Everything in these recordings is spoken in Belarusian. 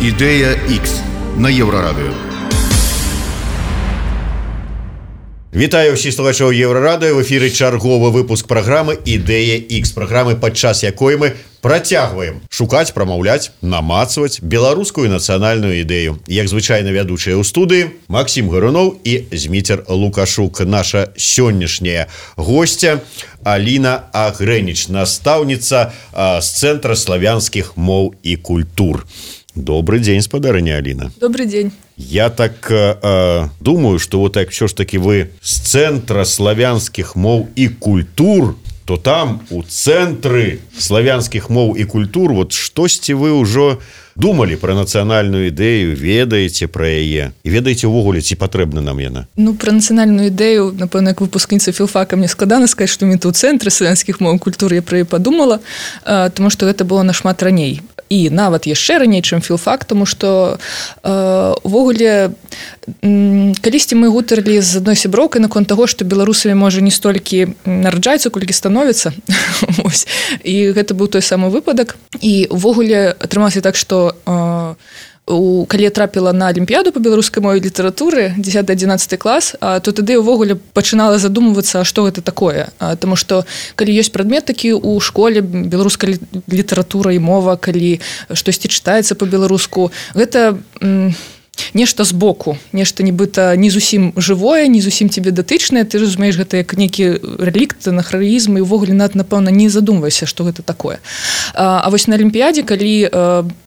Ідэя X на Еўрарадыё. Вітаю ўсіх слухачоў Еўрарадыё. В эфіры чарговы выпуск праграмы «Ідэя X», праграмы, падчас якой мы працягваем шукаць, прамаўляць, намацваць беларускую нацыянальную ідэю. Як звычайна вядучыя ў студыі Максім Гаруноў і Зміцер Лукашук. Наша сённяшняя гостя Аліна Агрэніч, настаўніца з Цэнтра славянскіх моў і культур. Добрый день, спадарыня Алина. Добрый день. Я так думаю, что вот так все ж таки вы с Центра славянских мов и культур, то там у Цэнтры славянских мов и культур вот штосьці вы уже думали про нацыянальную ідэю, ведаеце про яе і ведаеце ўвогуле, ці патрэбна нам яна? Ну, про нацыянальную ідэю, напэўна, як выпускніца філфака мне складана сказаць, што менавіта ў Цэнтры славянскіх моў і культур я пра яе падумала, тому што гэта было нашмат раней. І нават яшчэ раней, чым філфак, тому што увогуле калісьці мы гутарылі з адной сяброўкай наконт таго, што беларусамі можа не столькі нараджаецца, колькі становіцца. І гэта быў той самы выпадак. І увогуле атрымалася так, што калі я трапіла на алімпіяду па беларускай мове і літаратуры 10-11 клас, то тады ўвогуле пачынала задумвацца, што гэта такое. Таму што калі ёсць прадмет такі ў школе, беларуская літаратура і мова, калі штосьці чытаецца па-беларуску, гэта нешта збоку, нешта нібыта не зусім жывое, не зусім тебе датычнае, ты разумееш гэта як нейкі рэлікт, анахронізм, і ўвогуле напэўна не задумвайся, што гэта такое. А вось на алімпіядзе, калі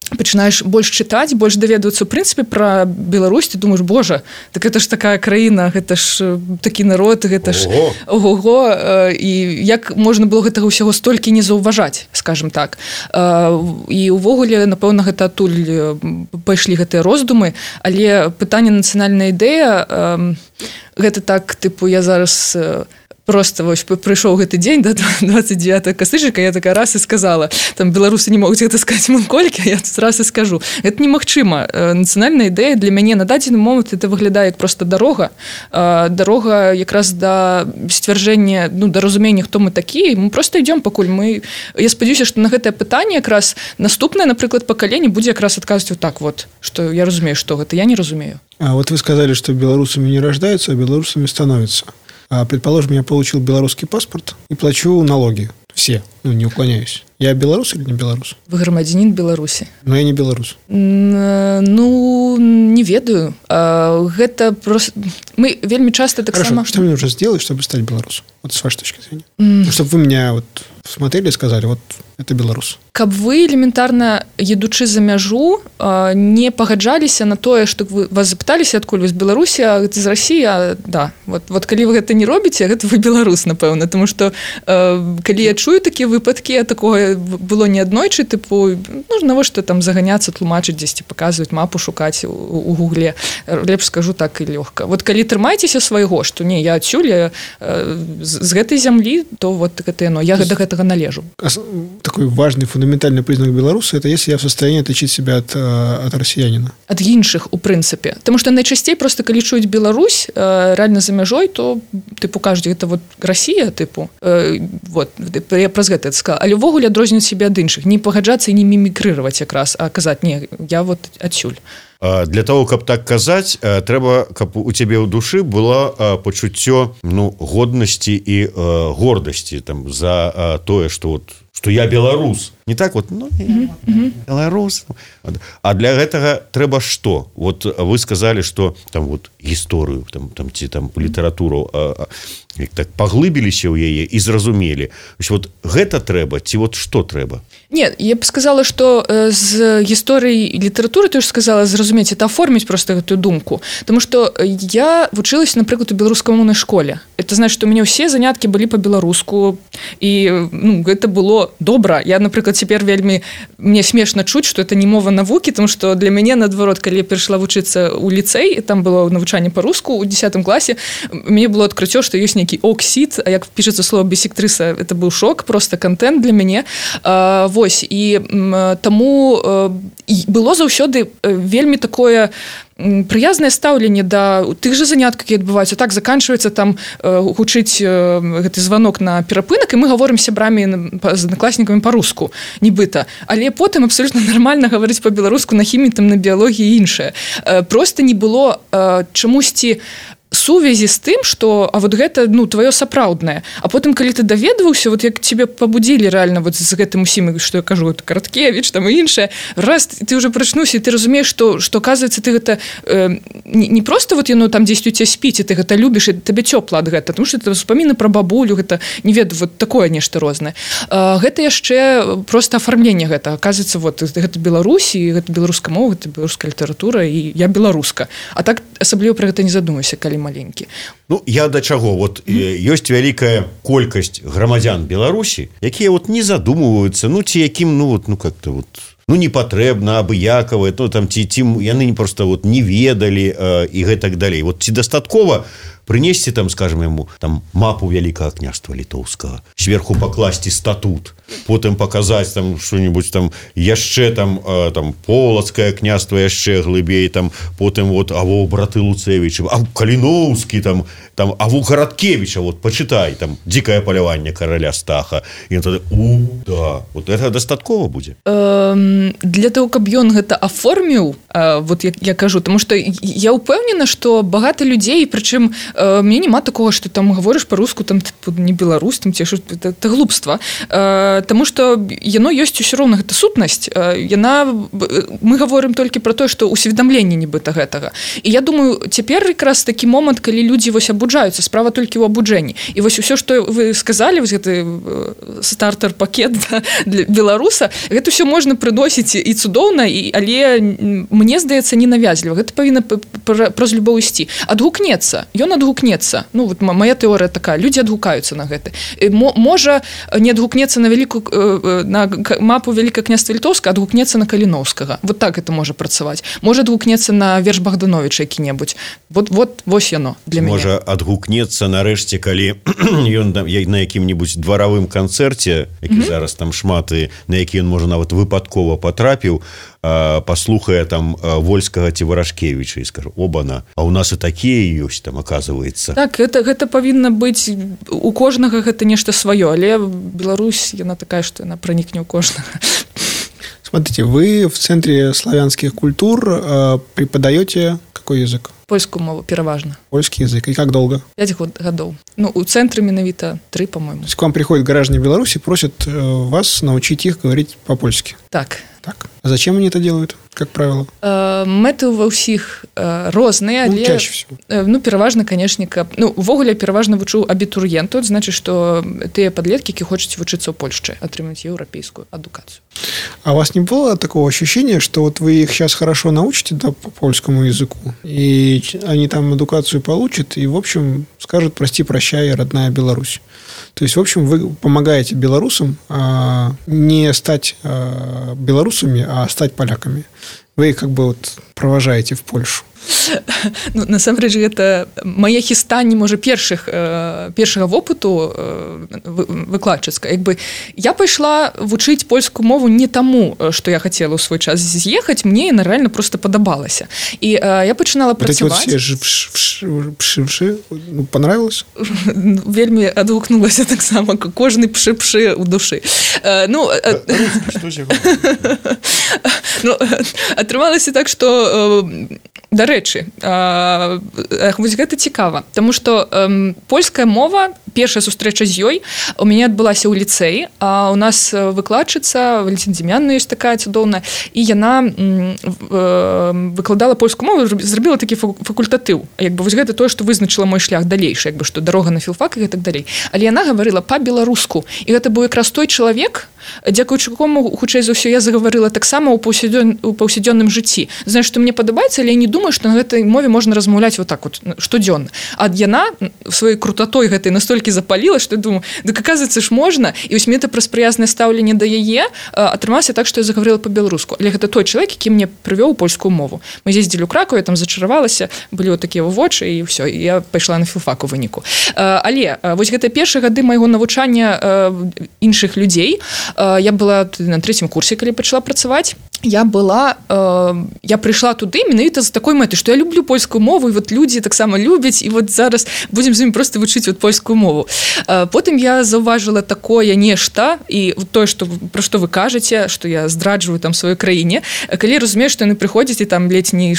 пачынаеш больш чытаць, больш даведвацца ў прынцыпе пра Беларусь, ты думаеш, божа, так гэта ж такая краіна, гэта ж такі народ, гэта ж ого-го, і як можна было гэтага ўсяго столькі не заўважаць, скажем так. І ўвогуле, напэўна, гэта адтуль пайшлі гэтыя роздумы, але пытанне нацыянальная ідэя, гэта так, тыпу, я зараз просто вось прыйшоў гэты дзень да 29 кастрычніка, я такая раз і сказала, там беларусы не могуць гэта сказаць колькі, я тут раз і скажу. Гэта немагчыма. Нацыянальная ідэя для мяне на дадзены момант это выглядае як проста дарога. Дарога якраз да сцвярджэння, ну, да разумення, хто мы такія. Мы просто ідём пакуль мы... Я спадзяюся, што на гэтае пытанне якраз наступнае, напрыклад, пакаленне будзе якраз адказваць вот так вот, што я разумею, што гэта, я не разумею. А вот вы сказали, что белорусами не рождаются, а белорусами становятся. Предположим, я получил белорусский паспорт и плачу налоги. Все. Ну, не уклоняюсь. Я белорус или не белорус? Вы грамадзянін Беларусі. Но я не белорус. Ну, не ведаю. Гэта просто... Мы вельмі часто так Хорошо, само... Что мне нужно сделать, чтобы стать белорусом? Вот с вашей точки зрения. Чтобы вы меня вот смотрели и сказали, вот это белорус. Каб вы элементарна, едучы за мяжу, не пагаджаліся на тое, што вас запыталіся, адкуль вы з Беларусі, а з Расіі, да. Вот калі вы гэта не робіце, гэта вы беларус, напэўна. Тому што калі я чую такія выпадкі, такое было не аднойчы, тыпу, ну, навошта там заганяцца, тлумачыць дзесьці, паказваць мапу, шукаць у гугле. Лепш скажу так і лёгка. Вот калі трымайцеся свайго, што не, я адсюль, з гэтай зямлі, то вот гэта яно, я да гэтага належу. Такой важный фундаментальный признак белоруса – это если я в состоянии отличить себя от россиянина. От іншых, у прынцыпе. Потому что найчасцей просто калі чуюць Беларусь реально за мяжой, то тыпу кажуць, это вот Россия, тыпу. Вот, я праз гэта сказала. Але ўвогуле адрозніваць себе ад іншых. Не пагаджацца і не мімікрыраваць якраз, а казаць, не, я вот адсюль. Для того, каб так казаць, трэба, каб у цябе ў душы было пачуццё, ну, годнасці і гордасці там за тое, што вот что я беларус. Не так вот, ну, беларус. А для гэтага трэба што? Вот вы сказали, что там вот гісторыю, там ці там літаратуру так паглыбіліся ў яе і зразумелі. Вот гэта трэба, ці вот што трэба? Нет, я б сказала, што з гісторыі і літаратуры, ты ж сказала, зразумець, это аформіць просто гэтую думку. Таму што я вучылася, напрыклад, у беларускамоўнай школе. Это значит, што у мяне ўсе заняткі былі па-беларуску, і ну, гэта было добра. Я, напрыклад, цяпер вельмі... Мне смешна чуць, што это не мова навукі, тому што для мяне, наадварот, калі я прыйшла вучыцца ў ліцэй, там было навучанне па-руску ў 10 класе, мне было адкрыццё, што ёсць нейкі оксід, а як пішацца слова бісектрыса, это быў шок, просто контент для мяне. Вось, і таму было заўсёды вельмі такое прыязнае стаўленне да тых жа заняткаў, якія адбываюцца. Так заканчваецца там гучыць гэты званок на перапынак, і мы гаворым сябрамі з аднакласнікамі па-руску, нібыта. Але потым абсолютно нормально гаварыць па-беларуску на хіміі, там, на біялогіі і іншае. Просто не было чамусьці сувязі з тым, што а вот гэта тваё сапраўднае. А потым калі ты даведваўся, вот як тебе пабудзілі реально вот з гэтым усім, што я кажу, Караткевіч там і іншае, раз ты уже прачнуўся, і ты разумееш, што оказывается ты гэта не просто вот яно там дзесьці у цябе спіць, і ты гэта любіш, і табе цёпла ад гэта, тому што это успаміны пра бабулю, гэта не ведаю, вот такое нешта рознае. Гэта яшчэ просто афармленне гэта. Оказывается, вот гэта Беларусь, і гэта беларуская мова, гэта беларуская літаратура, і я беларуска. А так асабліва пра гэта не задумаўся, калі маленькі. Ну, я да чаго? Вот ёсць вялікая колькасць грамадзян Беларусі, якія вот не задумваюцца, ці якім, как-то вот, не патрэбна, абыякавае, там, ці яны просто вот не ведалі і гэтак далей. Вот ці дастаткова прынесці там, скажем, яму там мапу Вялікага княства літоўскага, сверху пакласці статут, потым паказаць там што-нибудь там яшчэ там Полацкае княства яшчэ глыбей, там потым вот аво браты Луцевічы, а Каліноўскі там аво Караткевіча, вот пачытай там дзікае паляванне караля Стаха, і тады да, вот это дастаткова будзе. Для того, каб ён гэта аформіў, вот я кажу, тому што я ўпэўнена, што багата людзей, прычым мне няма такого, што там гаворыш па-руску, там не беларус, там ці это глупства, таму што яно ёсць усё роўна, гэта сутнасць, мы гаворым толькі пра тое, што усведамленне нібыта гэтага. І я думаю, цяпер якраз такі момант, калі людзі вось абуджаюцца, справа толькі ў абуджэнні. І вось усё, што вы сказалі, вось гэты стартер-пакет для беларуса, гэта ўсё можна прыносіць і цудоўна, але мне здаецца ненавязліва. Гэта павінна праз любоў ісці. Адгукнецца. Ён адгукнецца. Вот моя тэорыя такая. Людзі адгукаюцца на гэта. Можа не адгукнецца на мапу Вялікага княства Літоўскага, адгукнецца на Каліноўскага. Вот так это можа працаваць. Можа адгукнецца на верш Богдановича які-небудзь. Вось яно для мяне. Можа адгукнецца нарэшце, калі ён на якім-небудзь дваравым канцэрце, які зараз там шмат, і на які ён можа нават выпадкова патрапіў, паслухае там Вольскага ці Варашкевіча і скажу, обана, а у нас і такія ёсць там, аказваецца. Так, гэта павінна быць, у кожнага гэта нешта сваё, але Беларусь, яна такая, што яна пранікне ў кожнага. Смотрите, вы в Центре славянских культур преподаете какой язык? Польскую мову, пераважна. Польский язык. И как долго? 5 гадоў. У цэнтры менавіта 3, по-моему. То есть к вам приходят граждане Беларуси, просят вас научить их говорить по-польски? Так. А зачем они это делают, как правило? Мэты ва ўсіх розныя, але... чаще всего. Пераважна, канешне, увогуле пераважна вучу абітурыентаў, значыць, што тыя падлеткі, які хочуць вучыцца ў Польшчы, атрымаць еўрапейскую адукацию. А у вас не было такого ощущения, что вот вы их сейчас хорошо научите по польскому языку, и они там адукацию получат, и, в общем, скажут «прости, прощай, родная Беларусь». То есть, в общем, вы помогаете белорусам не стать белорусами, а стать поляками. Вы их как бы вот провожаете в Польшу. Насамрэч, гэта мае хістанні, можа, першага вопыту выкладчыцка. Я пайшла вучыць польскую мову не таму, што я хацела ў свой час з'ехаць, мне яна реально просто падабалася. І я пачынала працаваць. Вот эти вот все понравилось? Вельмі адгукнулася таксама, кожны пшы-пшы ў душы. Атрымалася так, што дарэчы, вось гэта цікава, таму што польская мова, першая сустрэча з ёй у мяне адбылася ў ліцэі, а у нас выкладчыца Валентина Демьяновна ёсць такая цудоўная, і яна выкладала польскую мову, зрабіла такі факультатыў. Вось гэта тое, што вызначыла мой шлях далейшы, што дарога на філфак і гэтак далей. Але яна гаварыла па-беларуску, і гэта быў якраз той чалавек, дзякуючы якому, хутчэй за ўсё, я загаварыла таксама ў паўсядзённым жыцці. Знаеш, што мне падабаецца, але я не думаю, што на гэтай мове можна размаўляць вот так вот штодзённа. А яна сваёй крутатой гэтай настолькі запаліла, што я думаю, дык аказваецца ж можна, і вось мне пра прыязнае стаўленне да яе атрымалася так, што я загаварыла па-беларуску. Але гэта той чалавек, які мне прывёў польскую мову. Мы з'ездзілі ў Кракаў, я там зачаравалася, былі вот такія вочы, і ўсё, і я пайшла на філфак у выніку. Але вось гэта першыя гады майго навучання іншых людзей. Я была на 3-м курсе, калі пачала працаваць, я прыйшла туды менавіта з такой мэтай, што я люблю польскую мову, і вот людзі таксама любяць, і вот зараз будзем з імі проста вучыць вот польскую мову. Потым я заўважыла такое нешта, і тое, пра што вы кажаце, што я здраджваю там сваёй краіне, калі разумею, што яны прыходзяць, і там ледзь не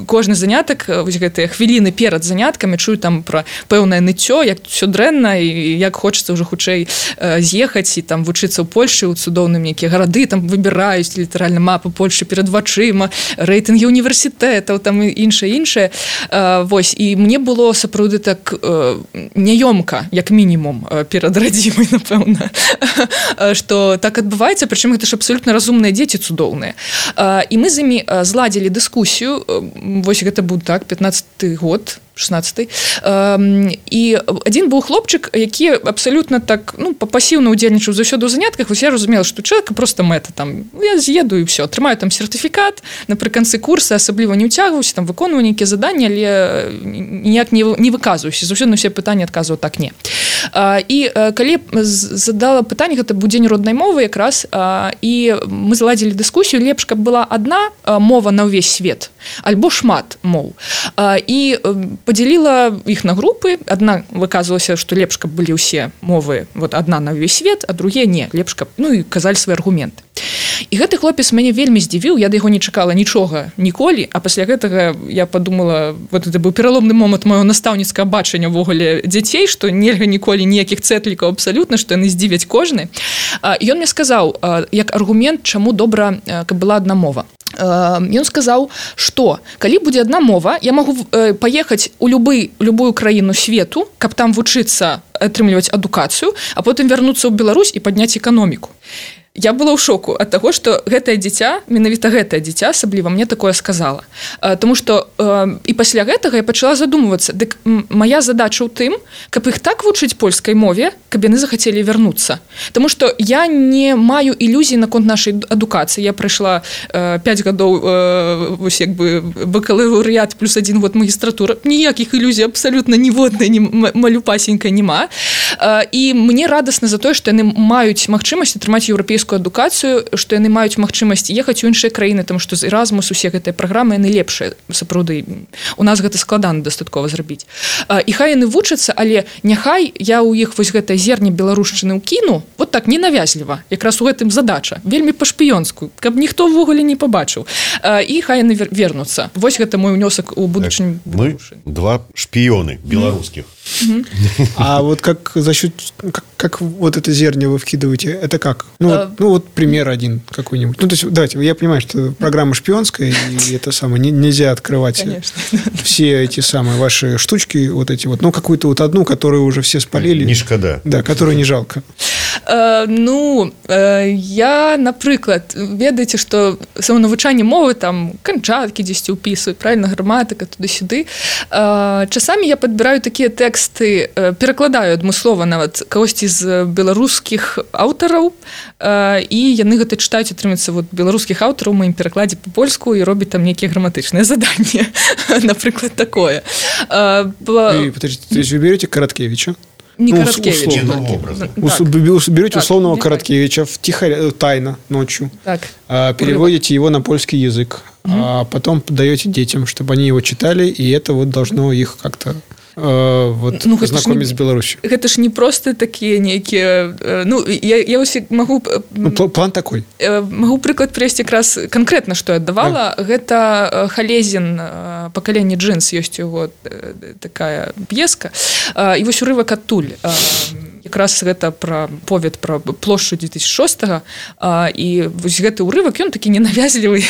кожны занятак, вось гэтыя хвіліны перад заняткамі чую там пра пэўнае ныццё, як усё дрэнна, і як хочацца ўжо хутчэй з'ехаць і там вучыцца ў Польшы, у цудоўным якія гарады, там выбіраюць літаральна мапу Польши перад вачыма, рэйтынгі універсітэтаў, там і іншае. Вось, і мне было сапраўды так няёмка, як мінімум, перад радзімай, напэўна, што так адбываецца, прычым гэта ж абсалютна разумныя дзеці цудоўныя. І мы з імі зладзілі дыскусію, вось гэта быў так, 15-й год, 16-й. І адзін быў хлопчык, які абсалютна так, пасіўна ўдзельнічаў заўсёды ў занятках. Вось я разумела, што чалавека проста мэта там, я з'еду і ўсё, атрымаю там сертыфікат, напрыканцы курса асабліва не ўцягваюся, там выконваю нейкія заданні, але ніяк не выказваюся. Заўсёды на ўсе пытанні адказваў так не. І калі задала пытанне, гэта быў дзень роднай мовы якраз, і мы заладзілі дыскусію, лепш, каб была адна мова на ўвесь свет, альбо шмат моў. І подзяліла іх на групы. Адна выказвалася, што лепш, каб былі ўсе мовы, вот адна на ўвесь свет, а другія не, лепш, каб, і казалі свае аргументы. І гэты хлопец мяне вельмі здзівіў, я да яго не чакала нічога ніколі, а пасля гэтага я падумала, вот это быў пераломны момант маёго настаўніцкага бачання ўвогуле дзяцей, што нельга ніколі ніякіх цэтлікаў абсалютна, што яны здзівяць кожны. І ён мне сказаў, як аргумент, чаму добра, каб была адна мова. Ён сказаў, што калі будзе адна мова, я магу паехаць у любую краіну свету, каб там вучыцца, атрымліваць адукацыю, а потым вярнуцца ў Беларусь і падняць эканоміку. Я была ў шоку ад таго, што гэтае дзіця, менавіта гэтае дзіця асабліва мне такое сказала. Таму што і пасля гэтага я пачала задумвацца, дык мая задача ў тым, каб іх так вучыць польскай мове, каб яны захацелі вярнуцца. Таму што я не маю ілюзій наконт нашай адукацыі. Я прайшла 5 гадоў вось як бы бакалаўрыят плюс 1 год магістратура. Ніякіх ілюзій абсалютна ніводнай малюпасенькай няма. І мне радасна за тое, што яны маюць магчымасць атрымаць еўрапейскую адукацыю, што яны маюць магчымасць ехаць у іншыя краіны, таму што з Erasmus усе гэтыя праграмы, яны лепшыя, сапраўды. У нас гэта складана дастаткова зрабіць. І хай яны вучацца, але няхай я ў іх вось гэтае зерне беларушчыны ўкіну, вот так, ненавязліва. Якраз у гэтым задача, вельмі па-шпіёнску, каб ніхто ўвогуле не пабачыў. І хай яны вернуцца. Вось гэта мой унёсак у будучыню. Мы два шпіёны беларускіх. А вот как за счет, как вот это зерня вы вкидываете, это как? Вот пример один какой-нибудь. То есть, давайте, я понимаю, что программа шпионская, и это самое, нельзя открывать все эти самые ваши штучки, вот эти вот, какую-то вот одну, которую уже все спалили. Не шкода. Да, которую не жалко. Я, напрыклад, ведаеце, што саманавучанне мовы, там, канчаткі дзесьці ўпісваюць, правільна, граматыка, туды-сюды. Часамі я падбіраю такія тэксты, перакладаю адмыслова нават кагосьці з беларускіх аўтараў, і яны гэта чытаюць, атрымаецца, вот, беларускіх аўтараў у маім перакладзе па-польску і робяць там нейкія граматычныя заданні. Напрыклад, такое. Подождите, то есть вы берете Короткевича? Не Короткевич. Берете условного Короткевича тайно, ночью, переводите его на польский язык, а потом даете детям, чтобы они его читали, и это вот должно их как-то знакомить с Беларусью. Это ж не просто такие некие... я могу... План такой. Могу прыклад привести как раз конкретно, что я давала. Гэта Халезін «Пакаленне джинс», есть его такая п'еска. И вось урывак адтуль. Якраз гэта пра повед пра плошчу 2006-го, і вось гэты ўрывак, ён такі ненавязлівы,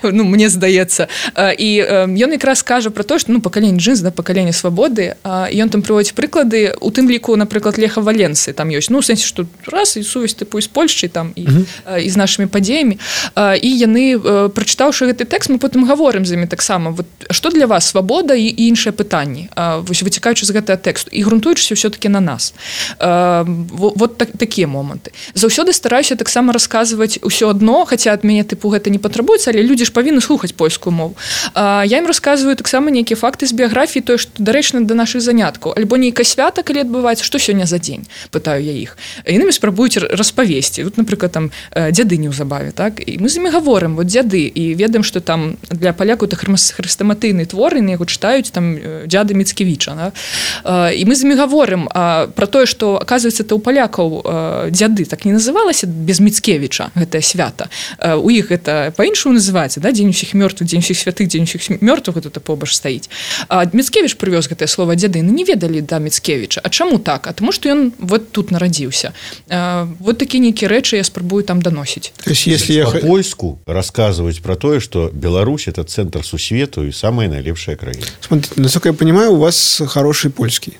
мне здаецца. І ён якраз кажа пра то, што пакаленне джинс, пакаленне свабоды, і ён там прыводзіць прыклады, у тым ліку, напрыклад, Леха Валенсы, там ёсць, у сэнсе, што раз і сувязь тыпу з Польшчай там і з нашымі падзеямі, і яны, прачытаўшы гэты тэкст, мы потым гаворым з імі таксама, што для вас свабода і іншыя пытанні, вось выцікаючы з гэтага тэксту, і грунтуючыся ўсё-такі на нас. вот такія моманты. Заўсёды стараюся таксама расказваць усё адно, хаця ад мяне тыпу гэта не патрабуецца, але людзі ж павінны слухаць польскую мову. Я ім расказваю таксама нейкія факты з біяграфіі, тое, што дарэчна да нашых заняткаў, альбо нейкае свята, калі адбываецца, што сёння за дзень, пытаю я іх. Яны спрабуюць распавесці. Вот, напрыклад, там дзяды неўзабаве, так? І мы з імі гаворым, вот дзяды, і ведаем, што там для палякаў это хрыстаматыйны твор, і яго чытаюць там дзяды Міцкевіча. Да? І мы з імі гаворым про тое, што, аказваецца, это ў палякаў дзяды так не называлася без Міцкевіча, гэтае свята. У іх гэта па-іншаму называецца, да? Дзень усіх мёртвых, дзень усіх святых, дзень усіх мёртвых, гэта побач стаіць. А Міцкевіч прывёз гэтае слова дзяды, не ведалі да Міцкевіча. А чаму так? А тому, што ён вот тут нарадзіўся. Вот такія нейкія рэчы я спрабую там даносіць. То есть, если я по-польску рассказывать про то, что Беларусь – это центр сусвету и самая наилепшая краина. Смотрите, насколько я понимаю, у вас хороший польский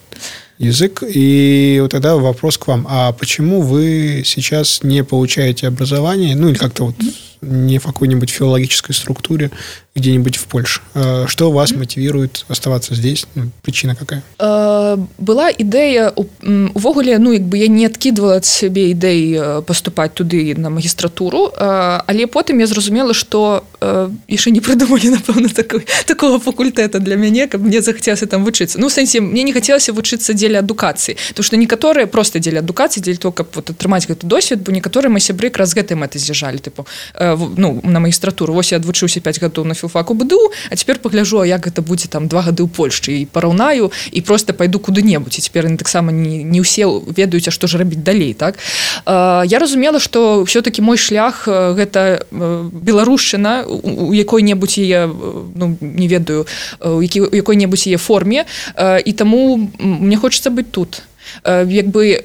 язык, и вот тогда вопрос к вам. А почему вы сейчас не получаете образование, ну, или как-то вот не в какой-нибудь филологической структуре где-нибудь в Польше? Что вас мотивирует оставаться здесь? Причина какая? Была ідэя, увогуле, ну, якби я не адкідвала ад сябе ідэй паступаць туды на магістратуру, але потым я зразумела, што яшчэ не прыдумалі, напэўна, такого факультэта для мяне, каб мне захацелася там вучыцца. Ну, в сэнсе, мне не хацелася вучыцца дзеля адукацыі, тому што некаторыя проста дзеля адукацыі, дзеля того, каб вот атрымаць гэты досвед, бо некаторыя мае сябры якраз гэтай мэтай з'язджалі, тыпу, ну, на магістратуру. Вось я адвучыўся 5 гадоў на філфаку БДУ, а цяпер пагляджу, як гэта будзе там 2 гады ў Польшчы, і параўнаю, і проста пайду куды-небудзь. І цяпер яны таксама не ўсе ведаюць, а што ж рабіць далей, так? Я разумела, што ўсё-такі мой шлях гэта беларушчына у якой-небудзь яе, ну, не ведаю, у якой-небудзь яе форме, і таму мне хочацца быць тут. Якби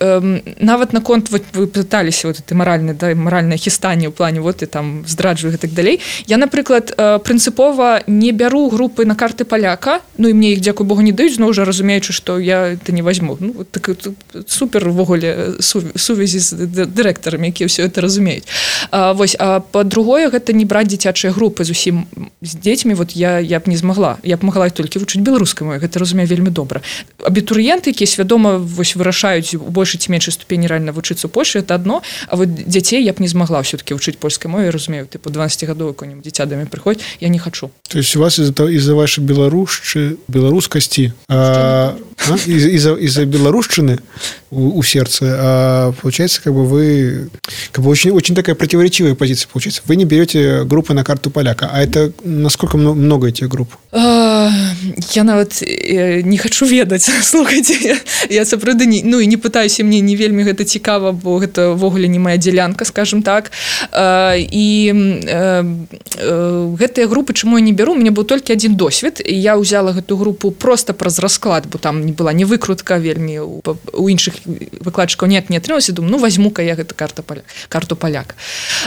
нават наконт вы пыталіся вот это маральнае хістанне ў плане вот і там здраджваю і так далей. Я, напрыклад, прынцыпова не бяру групы на карты паляка, ну і мне іх, дзякуй Богу, не даюць, зноў жа разумеючы, што я это не возьму. Ну, вот так супер увогуле сувязі з дырэктарамі, якія ўсё это разумеюць. Вось, а па-другое, гэта не браць дзіцячыя групы зусім з дзецьмі, вот я б не змагла. Я б магла толькі вучыць беларускай мове, гэта разумею вельмі добра. Абітурыенты, якія свядома вось вырашаюць у большай ці меншай ступені рэальна вучыцца ў Польшы, это адно, а вот дзяцей я б не змагла ўсё-таки вучыць польскай мове, разумею, тыпу 12-гадовы какой-нибудь дзіця да мяне прыходзіць, я не хачу. То есть у вас из-за вашей белорусскости, из-за белорусщины у сердца, получается, как бы вы, как бы очень такая противоречивая позиция получается. Вы не берете группы на карту поляка, а это насколько много этих групп? Я нават не хачу ведаць, слухайце, я сапраўды ну і не пытаюся, мне не вельмі гэта цікава, бо гэта ввогуле не моя дзялянка, скажем так. І гэтыя групы, чаму я не беру, у мяне быў толькі адзін досвед, і я ўзяла гэту групу просто праз расклад, бо там не была не выкрутка вельмі, у іншых выкладчыкаў ніяк не атрымалася, думаю, ну возьму-ка я гэта карту паляка.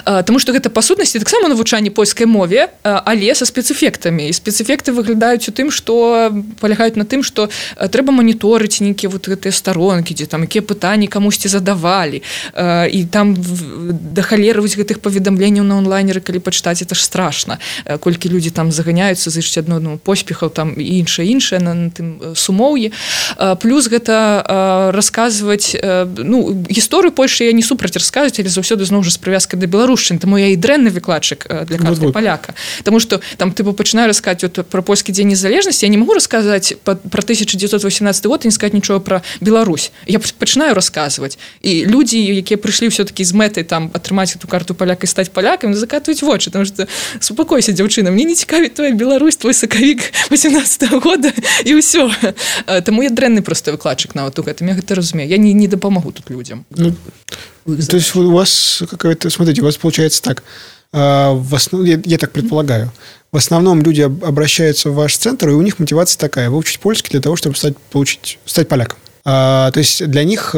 Таму што гэта па сутнасці таксама навучанне польскай мове, але са спецэфектамі, і спецэфекты выглядаюць у тым, што палягаюць на тым, што трэба маніторыць нейкія вот гэтыя старонкі, дзе там якія пытанні камусьці задавалі, і там да халеры вось гэтых паведамленняў на онлайнеры, калі пачытаць, это ж страшна, колькі людзі там заганяюцца, зычаць адно поспехаў там і іншае на тым сумоўі. Плюс гэта расказваць, ну, гісторыю Польшы я не супраць расказваць, але заўсёды зноў жа з прывязкай да беларушчыны, таму я і дрэнны выкладчык для карты паляка. Таму што там тыпу пачынаю расказваць вот пра польскі дзень незалежнасці, я не магу расказаць пра 1918 год і не сказаць нічога пра Беларусь. Я пачынаю расказваць. І людзі, якія прыйшлі ўсё-такі з мэтай там атрымаць эту карту паляка і стаць палякамі, закатваюць вочы, таму што супакойся, дзяўчына, мне не цікавіць твоя Беларусь, твой сакавік 18 года і ўсё. Таму я дрэнны просто выкладчык нават у гэтым, я гэта разумею. Я не дапамагу тут людзям. Ну, то есть у вас какая-то, смотрите, у вас получается так, в основном, я так предполагаю, в основном люди обращаются в ваш центр, и у них мотивация такая: выучить польский для того, чтобы стать поляком. То есть для них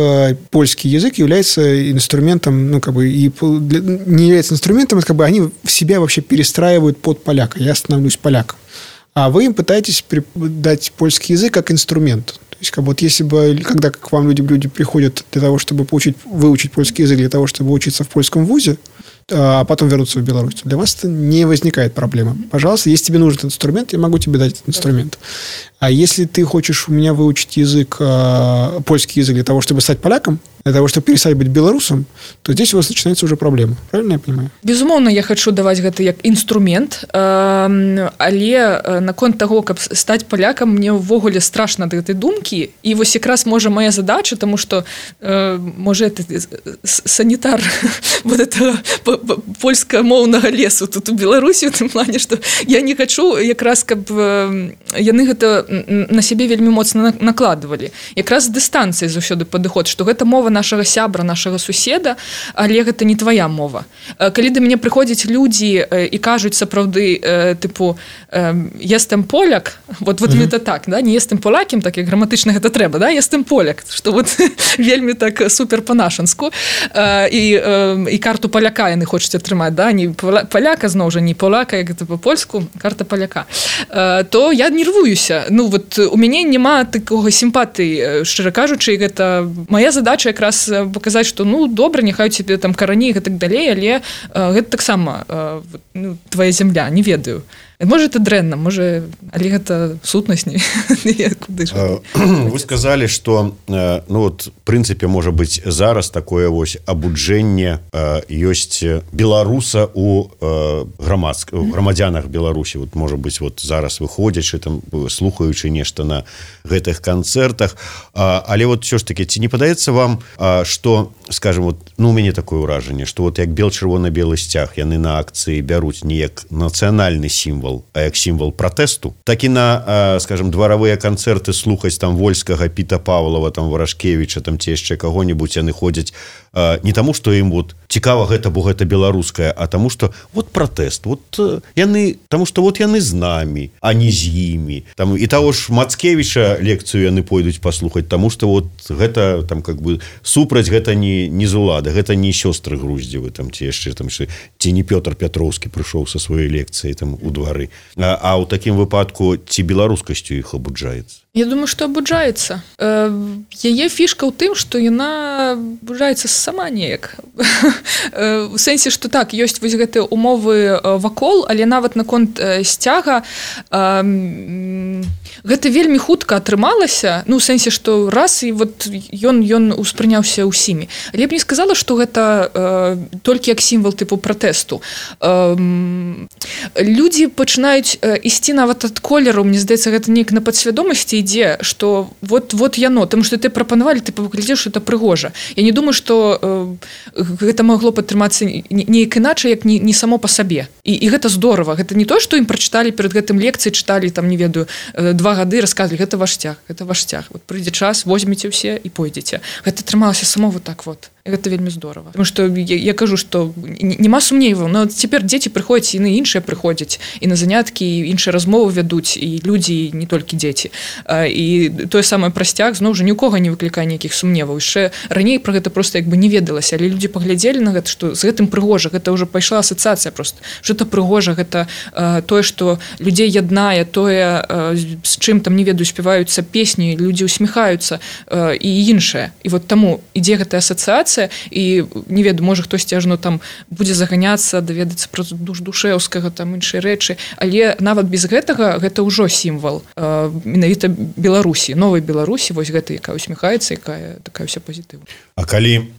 польский язык является инструментом, ну, как бы, и не является инструментом, как бы они себя вообще перестраивают под поляка. Я становлюсь поляком. А вы им пытаетесь дать польский язык как инструмент. То есть, как бы, вот если бы, когда к вам люди приходят для того, чтобы выучить польский язык, для того, чтобы учиться в польском вузе, а потом вернуться в Беларусь, для вас это не возникает проблема. Пожалуйста, если тебе нужен этот инструмент, я могу тебе дать этот инструмент. А если ты хочешь у меня выучить язык, польский язык для того, чтобы стать поляком, для того, чтобы перестать быть белорусом, то здесь у вас начинается уже проблема. Правильно я понимаю? Безумоўна, я хочу даваць гэта як інструмент, але наконт таго, каб стаць палякам, мне ўвогуле страшна ад гэтай думкі. І вось якраз можа моя задача, тому што можа это санітар вот этого польскамоўнага лесу тут у Беларусі, у тым плане, што я не хочу якраз, каб яны гэта на сябе вельмі моцна накладвалі. Якраз з дыстанцыі заўсёды падыход, што гэта мова нашага сябра, нашага суседа, але гэта не твоя мова. Калі да мяне прыходзяць людзі і кажуць сапраўды, тыпу, естем поляк, вот гэта так, да, не естем полякім, так як граматычна гэта трэба, да, естем поляк, што вот вельмі так супер па-нашанску, і карту паляка яны хочуць атрымаць, да, не паляка, зноў жа, не поляка, як гэта па-польску, карта паляка, то я нервуюся. Ну, вот у мяне няма такога сімпатыі, шчыра кажучы, гэта моя задача якраз паказаць, што ну добра, няхай у цябе там карані і так далей, але гэта таксама ну, твоя зямля, не ведаю. Можа, это дрэнна, можа, але гэта сутнасць не. Вы сказалі, што ну вот в прынцыпе можа быць зараз такое вось абуджэнне ёсць беларуса у грамадзянах Беларусі. Вот можа быць вот зараз выходзячы там, слухаючы нешта на гэтых канцэртах, але вот ўсё ж таки ці не падаецца вам, што, скажем, вот, ну у мяне такое ўражанне, што вот як бел-чырвона-белы сцяг яны на акцыі бяруць не як нацыянальны сімвал, а як сімвал пратэсту, так і на, скажем, дваравыя канцэрты слухаць там Вольскага, Піта Павлова, там Варашкевіча, там ці яшчэ каго-нибудь яны ходзяць не таму, што ім вот цікава гэта, бо гэта беларускае, а таму, што вот пратэст, вот яны, таму што вот яны з намі, а не з імі. Там і таго ж Мацкевіча лекцыю яны пойдуць паслухаць, таму што вот гэта там как бы супраць, гэта не з улады, гэта не сёстры Груздзевы, там ці яшчэ там ці не Пётр Пятроўскі прыйшоў са сваёй лекцыяй там у двары. А ў такім выпадку ці беларускасцю іх абуджаецца? Я думаю, што абуджаецца. Яе фішка ў тым, што яна абуджаецца сама неяк. У сэнсе, што так, ёсць вось гэтыя умовы вакол, але нават наконт сцяга гэта вельмі хутка атрымалася, ну, у сэнсе, што раз, і вот ён успрыняўся ўсімі. Але я б не сказала, што гэта толькі як сімвал тыпу пратэсту. Людзі пачынаюць ісці нават ад колеру, мне здаецца, гэта неяк на падсвядомасці ідзе, што вот яно, тому што ты прапанавалі, ты паглядзеш, што это прыгожа. Я не думаю, што гэта магло падтрымацца неяк іначай, як не само па сабе. І гэта здорава. Гэта не то, што ім прачыталі перад гэтым лекцыі, чыталі, там, не ведаю, 2 гады, расказвалі, гэта ваш сцяг. Вот прыйдзе час, возьмеце ўсе і пойдзеце. Гэта атрымалася само вот так вот. Гэта вельмі здорава. Потому што я кажу, што нема сумневаў, но цяпер дзеці прыходзяць, яны іншыя прыходзяць, і на заняткі, і іншыя размовы вядуць, і людзі, не толькі дзеці. І тое самае пра сцяг, зноў жа, ні ў кога не выклікае ніякіх сумневаў. Яшчэ раней пра гэта проста як бы не ведалася, але людзі паглядзелі на гэта, што з гэтым прыгожа, гэта ўжо пайшла асацыяцыя проста. Што гэта прыгожа, гэта тое, што людзей яднае, тое, з чым там, не ведаю, спяваюцца песні, людзі усміхаюцца і іншае. І вот таму ідзе гэтая асацыяцыя, і не ведаю, можа хтосьці ажно там будзе заганяцца, даведацца пра Душэўскага, там іншыя рэчы, але нават без гэтага гэта ўжо сімвал менавіта Беларусі, новай Беларусі, вось гэта, якая усміхаецца, якая такая ўся пазітыўная. А калі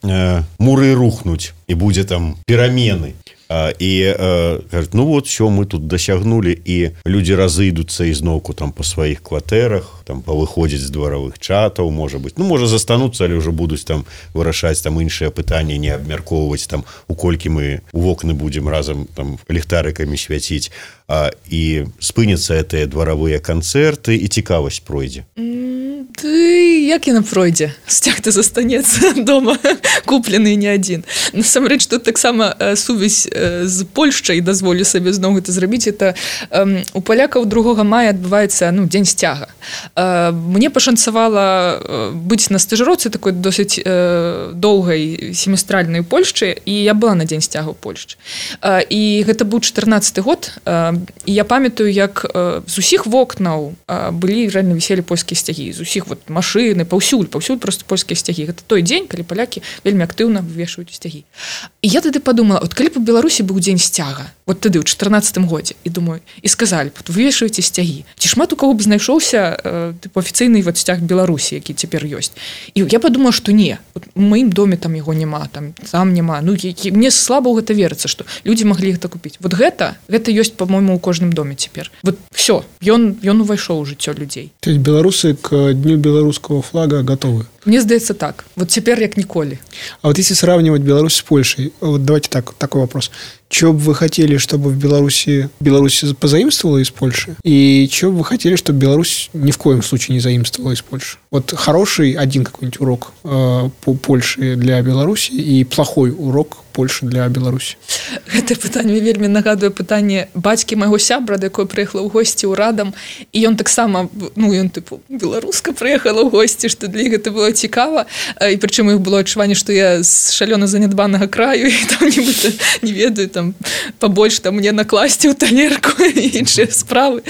муры рухнуць і будзе там перамены, і кажуць, ну вот все, мы тут дасягнулі, і людзі разыдуцца ізноўку там па сваіх кватэрах, там павыходзіць з дваравых чатаў, можа быць, ну можа застануцца, але ўжо будуць там вырашаць там іншыя пытанні, не абмяркоўваць там, у колькі мы у вокны будзем разам там ліхтарыкамі свяціць, і спыняцца гэтыя дваравыя канцэрты, і цікавасць пройдзе. Як яна пройдзе? Сцяг-то застанецца дома, куплены не адзін. Насамрэч, тут таксама сувязь з Польшчай, дазволю сабе зноў гэта зрабіць, это у палякаў 2 мая адбываецца, ну, дзень сцяга. Мне пашанцавала быць на стажыроўцы такой досыць доўгай семестральнай у Польшчы, і я была на дзень сцяга ў Польшчы. І гэта быў 14-й год, і я памятаю, як з усіх вокнаў былі, рэальна віселі польскія сцягі, з усіх вот машыны паўсюль просто польскія сцягі. Гэта той дзень, калі палякі вельмі актыўна вывешваюць сцягі. І я тады подумала, вот калі б у Беларусі быў дзень сцяга, вот тады ў 14 годзе, і думаю, і сказалі, вывешвайце сцягі. Ці шмат у каго б знайшоўся афіцыйны вот сцяг Беларусі, які цяпер ёсць. І я подумала, што не, вот у маім доме там яго няма, там няма. Ну, мне слаба ў гэта верыцца, што людзі маглі гэта купіць. Вот гэта ёсць, по-моему, у кожным доме цяпер. Вот все, ён увайшоў у жыццё людзей. То есть белорусы к Дню белорусского флага готовы? Мне здаецца так. Вот цяпер як ніколі. А вот если сравнивать Беларусь с Польшей, вот давайте такой вопрос. Чего бы вы хотели, чтобы в Беларусь позаимствовала из Польши? И чего бы вы хотели, чтобы Беларусь ни в коем случае не заимствовала из Польши? Вот хороший один какой-нибудь урок по Польше для Беларуси и плохой урок Польши для Беларуси. Гэта пытанне вельмі нагадуе пытанне бацькі майго сябра, да якой прыехала ў госці ў Радам, і ён таксама, ён тыпу беларуска прыехала ў госці, што для іх гэта было цікава, і прычым іх было адчуванне, што я з шалёна занядбанага краю, і там нібыта, не ведаю, там пабольш там мне накласці ў талерку і іншыя справы.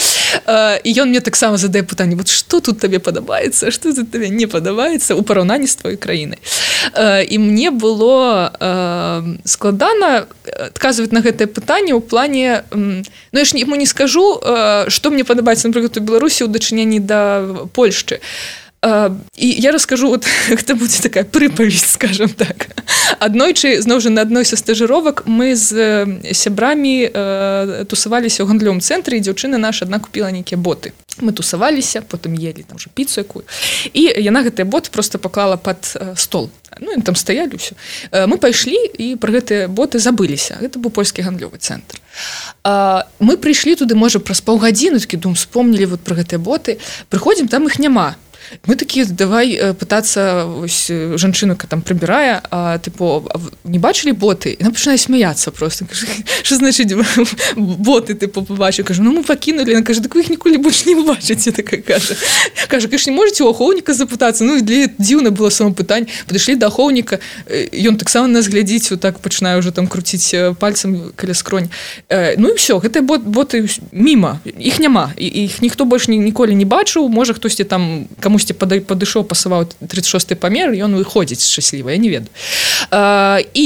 І ён мне таксама задае пытанне, вот што тут табе падабаецца, што тут табе не падабаецца ў параўнанні з твоёй краінай. І мне было складана адказваць на гэтае пытанне ў плане, я ж яму не скажу, што мне падабаецца, напрыклад, у Беларусі ў дачыненні да Польшчы. І я раскажу, вот гэта будзе такая прыпаведь, скажем так. Аднойчы, зноў жа, на адной са стажыровак мы з сябрамі тусаваліся ў гандлёвым цэнтры, і дзяўчына наша адна купіла нейкія боты. Мы тусаваліся, потым елі там уже піцу якую. І яна гэтыя боты просто паклала пад стол. Яны там стаялі ўсё. Мы пайшлі і пра гэтыя боты забыліся. Гэта быў польскі гандлёвы цэнтр. Мы прыйшлі туды, можа, праз паўгадзіны, такі думаю, вспомнілі вот пра гэтыя боты. Прыходзім, там іх няма. Мы такія, давай пытацца, ось жанчына там прыбірае, не бачылі боты? І нам пачынае смяяцца просто. Што значыць боты, побачыў? Кажу, мы пакінулі. Яна кажа, так вы іх ніколі больш не бачыце, такая кажа. Кажа, конечно, не можете у ахоўніка запытацца? І для дзіўна было само пытанне. Падышлі да ахоўніка, ён таксама нас глядзіць, вот так пачынае ўжо там круціць пальцам каля скронь. Ну і ўсё, гэтыя боты міма, іх няма. Іх ніхто больш ніколі не бачыў, можа хтосьці там камусьці падышоў, пасаваў 36-й памер, ён выходзіць шчасліва, я не ведаю. І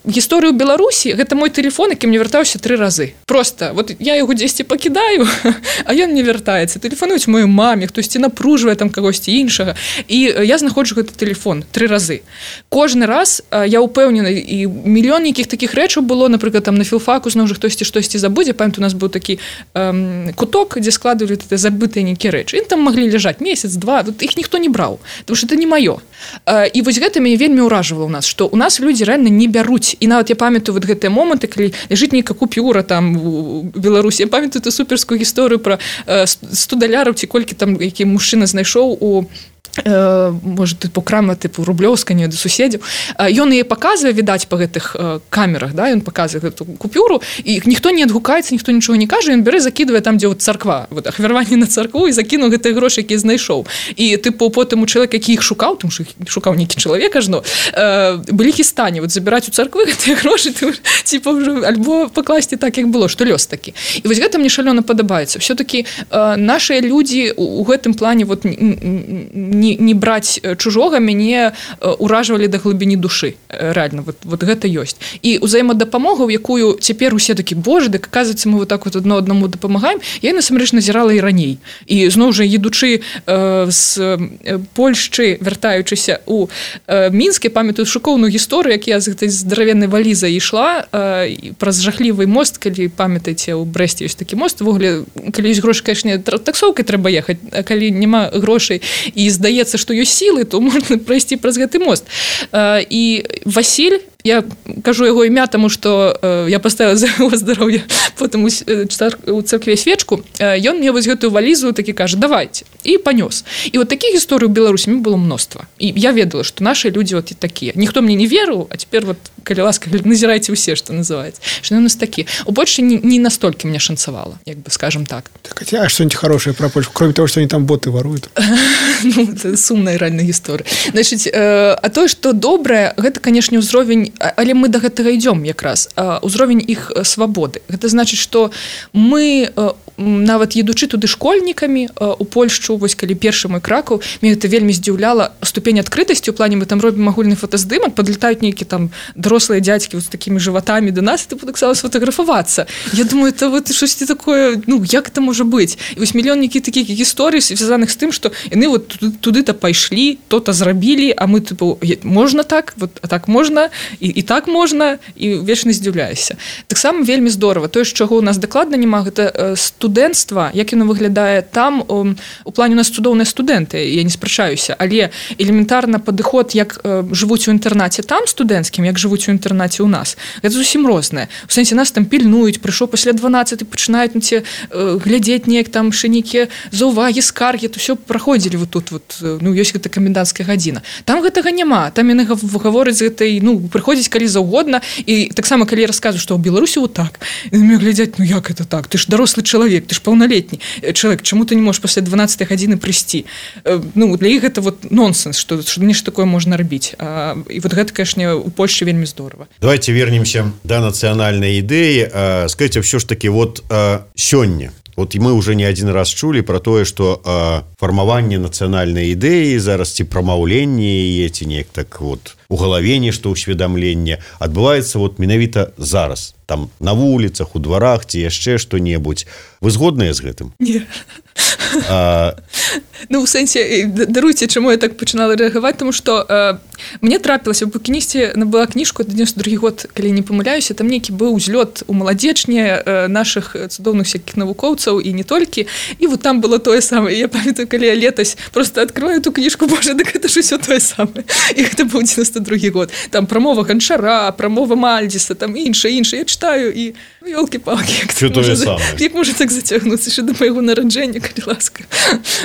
гісторыю Беларусі, гэта мой тэлефон, які мне вяртаўся 3 разы. Просто, вот я яго дзесьці пакідаю, а ён не вяртаецца. Тэлефануюць маёй маме, хтосьці напружвае там кагосьці іншага. І я знаходжу гэты тэлефон 3 разы. Кожны раз я ўпэўнена, і мільён якіх такіх рэчаў было, напрыклад, там на філфаку зноў жа хтосьці штосьці забудзе. Памятаю, у нас быў такі куток, дзе складывалі забытыя нейкія рэчы. І там маглі ляжаць месяц-два, іх ніхто не браў, тому што это не маё. І вось гэта мяне вельмі ўражвала ў нас, што у нас людзі рэальна не бяруць. І нават я памятаю вот гэтыя моманты, калі ляжыць нейкая купюра там у Беларусі. Я памятаю ту суперскую гісторыю пра 100 даляраў, ці колькі там які мужчына знайшоў у можа, крама рублёўска, не да суседзяў. Ён яе паказвае, відаць, па гэтых камерах, да, ён паказвае гэту купюру, і ніхто не адгукаецца, ніхто нічога не кажа, ён бярэ, закідвае там, дзе царква, ахвяраванне на царкву, і закінуў гэтыя грошы, якія знайшоў. І потым у чалавека, які іх шукаў, тому што шукаў нейкі чалавек ажно, былі хістані, забіраць у царквы гэтыя грошы, альбо пакласці так, як было, што лёс такі. І вось гэта мне шалёна падабаецца. Всё-такі нашыя людзі у гэтым плане не браць чужога мяне ўражвалі да глыбіні душы. Реально, вот гэта ёсць. І ўзаемадапамога, у якую цяпер усе такі, боже, дык аказваецца, мы вот так вот аднаму дапамагаем, я насамрэч назірала і раней. І зноў жа, едучы з Польшчы, вяртаючыся у Мінск, памятаю шокоўную гісторыю, як я з гэтай здаравеннай валізай ішла праз жахлівы мост, калі памятаеце, у Брэсце ёсць такі мост, ввогуле, калі ёсць грошы, канешне, таксоўкай трэба ехаць, а калі няма грошай і здаецца, што ёсць сілы, то можна прайсці праз гэты мост. І Васіль, я кажу яго імя, таму што я паставіла за яго здароўе потым у царкве свечку, ён мне вось гэтую валізу такі кажа, давайте, і панёс. І вот такіх гісторый у Беларусі было мноства. І я ведала, што нашы людзі вот і такія. Ніхто мне не верыў, а цяпер вот, калі ласка, назірайце ўсе, што называецца. Што у нас такі. У Польшчы не настолькі мне шанцавала, як бы, скажем так. Так, а что-нибудь хорошее про Польшу, кроме того, что они там боты воруют? Ну, это сумная реальная гісторыя. Значыць, а тое, што добрае, гэта, канешне, ўзровень, але мы да гэтага ідём якраз, ўзровень іх свабоды. Гэта значыць, што мы нават едучы туды школьнікамі у Польшчу, вось калі першы мой Кракаў, мне гэта вельмі здзіўляла ступень адкрытасці, у плане мы там робім агульны фотаздымак, падлетаюць нейкі там дарослыя дзядзькі з такімі жыватамі да нас, і ты таксама сфотаграфавацца. Я думаю, это вот штосьці такое, ну, як это можа быць? І вось мільён нейкіх такіх гісторый, звязаных з тым, што яны вот туды-то пайшлі, то-то зрабілі, а мы, типу, можна так, вот, а так можна, і так можна, і вечна здзіўляюся. Таксама вельмі здорава. Тое, чаго ў нас дакладна няма, гэта студэнцтва, як яно выглядае там, у плане у нас цудоўныя студэнты, я не спрачаюся, але элементарна падыход, як жывуць у інтэрнаце там студэнцкім, як жывуць у інтэрнаце ў нас, гэта зусім рознае. У сэнсе нас там пільнуюць, прыйшоў пасля 12 пачынаюць на ці глядзець неяк там шэнікі заўвагі, скаргі, то ўсё праходзілі вот тут, вот, ну, ёсць гэта каменданцкая гадзіна. Там гэтага няма, там яны гавораць з гэтай, ну, прыходзіць калі заўгодна, і таксама калі я расказваю, што ў Беларусі вот так, і на мяне глядзяць, ну як это так, ты ж дарослы чалавек, ты ж паўналетні чалавек, чаму ты не можаш пасля 12 гадзіны прыйсці? Ну, для іх гэта вот нонсенс, што нешта такое можна рабіць. І вот гэта, конечно, у Польшчы вельмі здорава. Давайте вернемся до нацыянальнай ідэі. Скажите, все ж таки, вот сёння, вот мы уже не один раз чулі про тое, што фармаванне нацыянальнай ідэі зараз ці прамаўленне яе, ці неяк так вот у галаве нешта ўсведамленне адбываецца вот менавіта зараз, там на вуліцах, у дварах ці яшчэ што-небудзь. Вы згодныя з гэтым? Не. Ну, у сэнсе, даруйце, чаму я так пачынала рэагаваць, тому што мне трапілася, у букінісце набыла кніжку 92 год, калі не памыляюся, там нейкі быў узлёт у маладзечні нашых цудоўных всякіх навукоўцаў і не толькі, і вот там было тое самае. Я памятаю, калі я летась просто адкрываю ту кніжку, боже, дык гэта ж усё тое самае. І гэта быў 92 год. Там прамова Ганчара, прамова Мальдзіса, там іншае. Я читаю і, ну, ёлкі-палкі, як можа так зацягнуцца ще до майго нараджэння, калі ласка.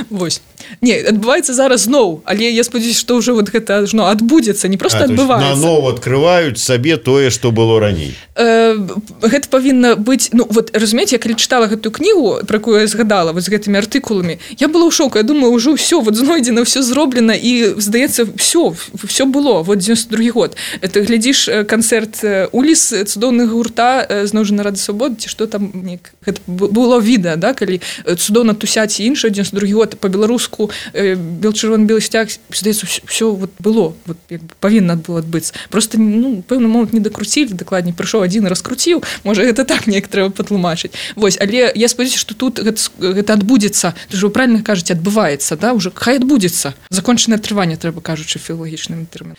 Вось. Не, адбываецца зараз зноў, але я спадзяюся, што ўжо вот гэта адбудзецца, не проста адбываецца. Наново адкрываюць сабе тое, што было раней. Гэта павінна быць, ну, вот, разумееце, я калі чытала гэтую кнігу, про якую я згадала, вот з гэтымі артыкуламі, я была ў шоку, я думаю, ўжо ўсё, вот знойдзена, ўсё зроблена, і, здаецца, ўсё было, вот 92 год. Это, глядзіш, канцэрт Уліс, цудоўнага гурта, зноў жа Нарада Свабоды, ці што там, гэта было відэа, да, калі цудоўна тусяць і іншае, 92 год, па-беларуску, бел-чырвоны-белы сцяг, здаецца, ўсё вот было, вот, як бы павінна было адбыцца. Просто, ну, пэўны момант не дакруцілі, дакладней, прыйшоў адзін і раскруціў, можа, гэта так неяк трэба патлумачыць. Вось, але я спадзяюся, што тут гэта адбудзецца, ты ж вы правильно кажаце, адбываецца, да, уже хай адбудзецца. Закончанае трыванне, трэба кажучы філалагічным тэрмінам.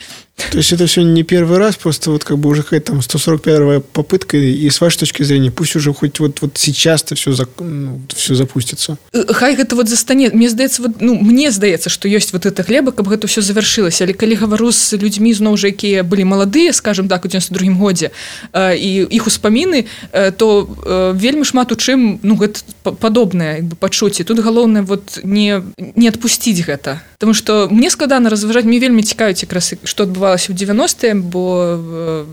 То есть это все не первый раз, просто вот как бы уже какая-то там 141-я попытка, и с вашей точки зрения, пусть уже хоть вот сейчас-то все запустится. Хай гэта вот застане, мне здаецца, вот, ну, мне здаецца, што ёсць вот эта глеба, каб гэта ўсё завяршылася. Але калі гавару з людзьмі, зноў жа, якія былі маладыя, скажем так, у 92-м годзе, і іх успаміны, то вельмі шмат у чым, ну, гэта падобнае, як бы, пачуцці. Тут галоўнае вот не адпусціць гэта. Таму што мне складана разважаць, мне вельмі цікавіць якраз, што адбывалася ў 90-е, бо,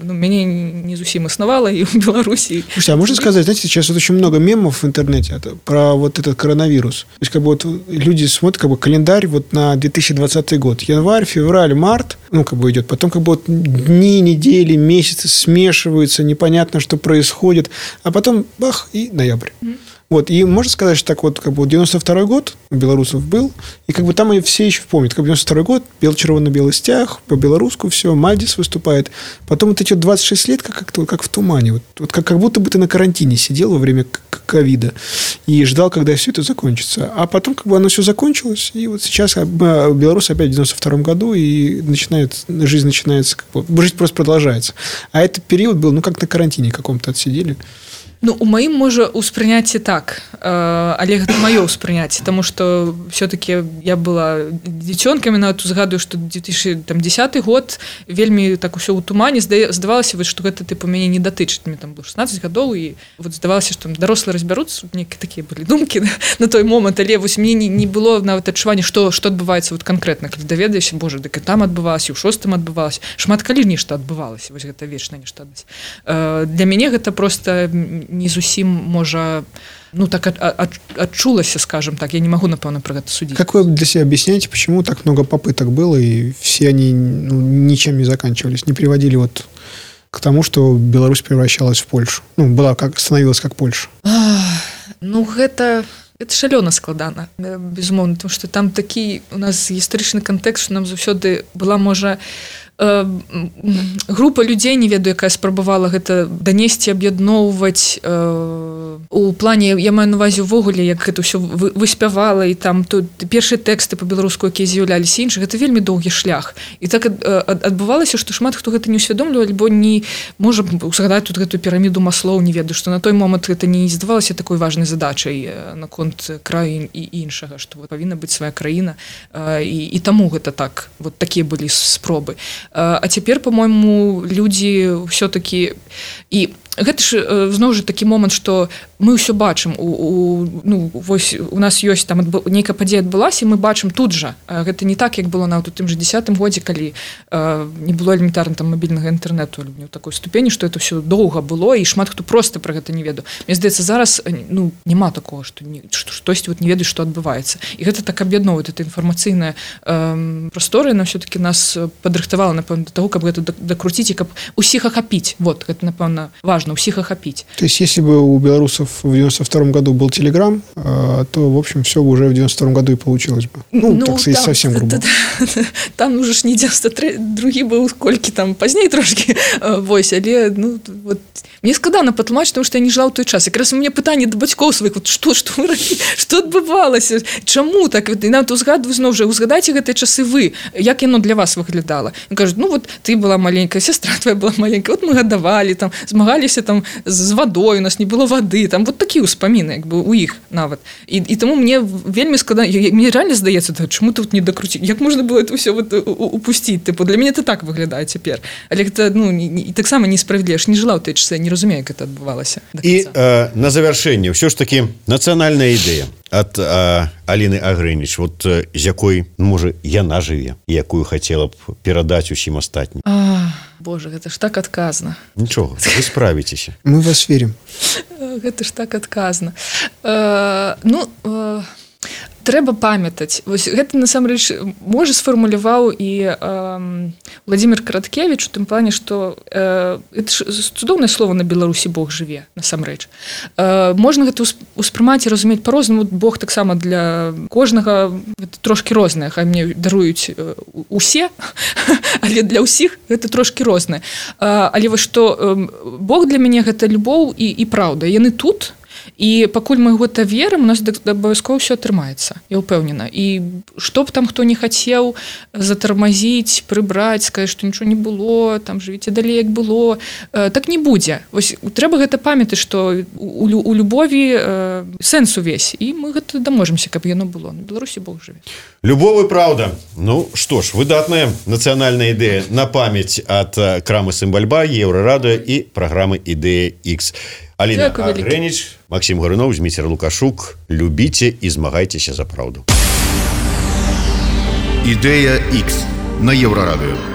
ну, мяне не зусім існавала і ў Беларусі. Слушайте, а можно сказать, знаете, сейчас вот очень много мемов в интернете про вот этот коронавирус. То есть как бы вот люди смотрят как бы календарь вот на 2020 год. Январь, февраль, март, ну, как бы идет. Потом как бы вот дни, недели, месяцы смешиваются, непонятно, что происходит. А потом бах, и ноябрь. Вот, и можно сказать, что так вот, как бы 92-й год у белорусов был, и как бы там они все еще помнят, как бы 92-й год, бел-червоно-белый стяг, по-белорусски все, Мальдис выступает. Потом вот эти 26 лет как-то как в тумане. Вот как будто бы ты на карантине сидел во время ковида и ждал, когда все это закончится. А потом как бы оно все закончилось, и вот сейчас Беларусь опять в 92-м году, и жизнь начинается, как бы, жизнь просто продолжается. А этот период был, ну, как на карантине каком-то отсидели. Ну, у маім можа ўспрыняцце так, але гэта маё ўспрыняцце, таму што все-таки я была дзіцёнкамі, нават узгадую, што 2010 год вельмі так усё ў тумане, здавалася, што гэта тыпу мяне не датычыць, мне там было 16 гадоў, і вот здавалася, што дарослыя разбяруцца, нейкія такія былі думкі на той момант, але вось мне не было нават адчування, што адбываецца вот канкрэтна, калі даведаешся, боже, дык і там адбывалася, і ў 6-м адбывалася, шмат калі нешта адбывалася, вось гэта вечна нешта адбывалася. Для мяне гэта просто не зусім, можа, ну, так адчулася, скажем так. Я не могу, напэўна, про гэта судить. Как вы для себя объясняете, почему так много попыток было, и все они, ну, ничем не заканчивались, не приводили вот к тому, что Беларусь превращалась в Польшу? Ну, становилась как Польша. Ну гэта шалёна складана, безумоўна, тому што там такі у нас гістарычны кантэкст, што нам заўсёды была, можа, група людзей, не ведаю, якая спрабавала гэта данесці, аб'ядноўваць у плане, я маю на ўвазе ўвогуле, як гэта ўсё выспявала, і там тут першыя тэксты па-беларуску, якія з'яўляліся іншых, гэта вельмі доўгі шлях. І так адбывалася, што шмат хто гэта не ўсвядомліваў, альбо не можа узгадаць тут гэту піраміду Маслоў, не ведаю, што на той момант гэта не здавалася такой важнай задачай наконт краю і іншага, што павінна быць свая краіна, і таму гэта так, вот такія былі спробы. А цяпер, по-мойму, людзі ўсё-такі, і гэта ж зноў жа такі момант, што мы ўсё бачым, вось у нас ёсць там нейкая падзея адбылася, і мы бачым тут жа. Гэта не так, як было нават у тым жа 10-м годзе, калі не было элементарна там мабільнага інтэрнэту ў такой ступені, што это ўсё доўга было, і шмат хто проста пра гэта не ведаў. Мне здаецца, зараз няма такого, што штосьці не ведаюць, што адбываецца. І гэта так аб'ядноўвае, гэта інфармацыйная прастора, яна ўсё-такі нас падрыхтавала, напэўна, да таго, каб гэта дакруціць і каб усіх ахапіць. Вот, гэта, напэўна, важно, всех охопить. То есть, если бы у белорусов в 92 году был Телеграм, то, в общем, все бы уже в 92 году и получилось бы. Так сказать, совсем грубо. Там уже ж не 92 был, скольки там позднее трошки, вось, але, вот, мне складана патлумачыць, тому што я не жила ў той час. Якраз у мяне пытанне да бацькоў сваіх, вот, што адбывалася, чаму так, і нават узгадайце гэтыя часы вы, як яно для вас выглядала. І кажуць, вот, ты была маленькая, сестра твоя была маленькая, вот мы гадавалі, там, змагаліся там з вадой, у нас не было вады, там вот такія ўспаміны, як бы у іх нават. І таму мне вельмі складана, мне реально здаецца, чаму тут не дакруціць, як можна было это ўсё вот упусціць, типу, для мяне это так выглядае цяпер. Але гэта, і таксама несправедліва, ж не жила ў той часы, я не разумею, як это адбывалася. І на завяршэнне ўсё ж такі нацыянальная ідэя ад Аліны Агрэніч, вот з якой, можа, яна жыве, якую хацела б перадаць усім астатнім. Боже, гэта ж так адказна. Нічога, вы справіцеся. Мы вас верим. Гэта ж так адказна. Трэба памятаць. Вось гэта насамрэч можа сфармуляваў і Владимир Караткевич у тым плане, што это ж цудоўнае слово на Беларусі Бог жыве, насамрэч. Можна гэта ўспрымаць і разумець па-рознаму. Бог таксама для кожнага трошкі рознае, хай мне даруюць усе, але для ўсіх гэта трошкі рознае. Але вось што Бог для мяне гэта любоў і праўда. Яны тут. І пакуль мы гэта верым, у нас абавязкова ўсё атрымаецца, я ўпэўнена. І што б там хто не хацеў затармазіць, прыбраць, сказаць, што нічого не было, там жывіце далей, як было, так не будзе. Вось трэба гэта памятаць, што у любові сэнс увесь, і мы гэта даможемся, каб яно было. На Беларусі Бог жыве. Любов і праўда. Ну што ж, выдатная нацыянальная ідэя на памяць ад крамы Сімбальба, Еўрарадыё і праграмы Ідэя X. Аліна Агрэніч, Максім Гаруноў, Зміцер Лукашук. Любіце і змагайцеся за праўду. Ідэя X на Еўрарадыё.